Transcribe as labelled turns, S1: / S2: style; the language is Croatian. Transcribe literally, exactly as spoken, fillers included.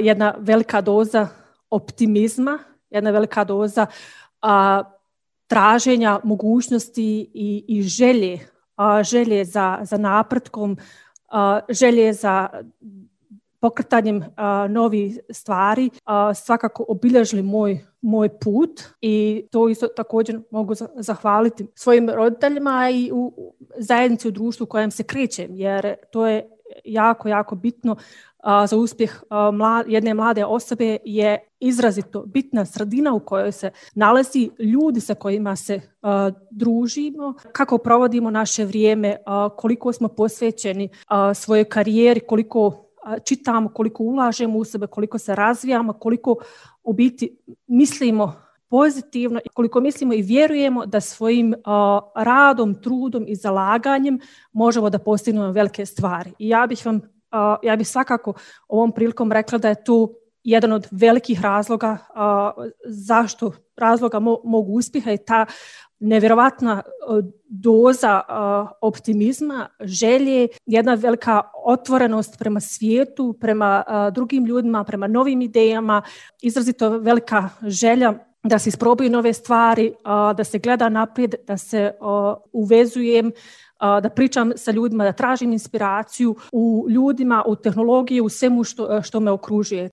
S1: jedna velika doza optimizma, jedna velika doza a, traženja mogućnosti i, i želje, a, želje za, za napretkom, a, želje za pokretanjem a, novih stvari, a, svakako obilježili moj, moj put i to isto također mogu zahvaliti svojim roditeljima i u zajednici, u društvu u kojem se krećem, jer to je jako, jako bitno a, za uspjeh a, mla, jedne mlade osobe je izrazito bitna sredina u kojoj se nalazi, ljudi sa kojima se a, družimo, kako provodimo naše vrijeme, a, koliko smo posvećeni a, svojoj karijeri, koliko čitamo, koliko ulažemo u sebe, koliko se razvijamo, koliko u biti mislimo pozitivno, koliko mislimo i vjerujemo da svojim uh, radom, trudom i zalaganjem možemo da postignemo velike stvari. I ja bih vam, uh, ja bih svakako ovom prilikom rekla da je to jedan od velikih razloga uh, zašto razloga mo- mogu uspjeha i ta nevjerovatna doza uh, optimizma, želje, jedna velika otvorenost prema svijetu, prema uh, drugim ljudima, prema novim idejama, izrazito velika želja da se isprobaju nove stvari, uh, da se gleda naprijed, da se uh, uvezujem, uh, da pričam sa ljudima, da tražim inspiraciju u ljudima, u tehnologiji, u svemu što, što me okružuje.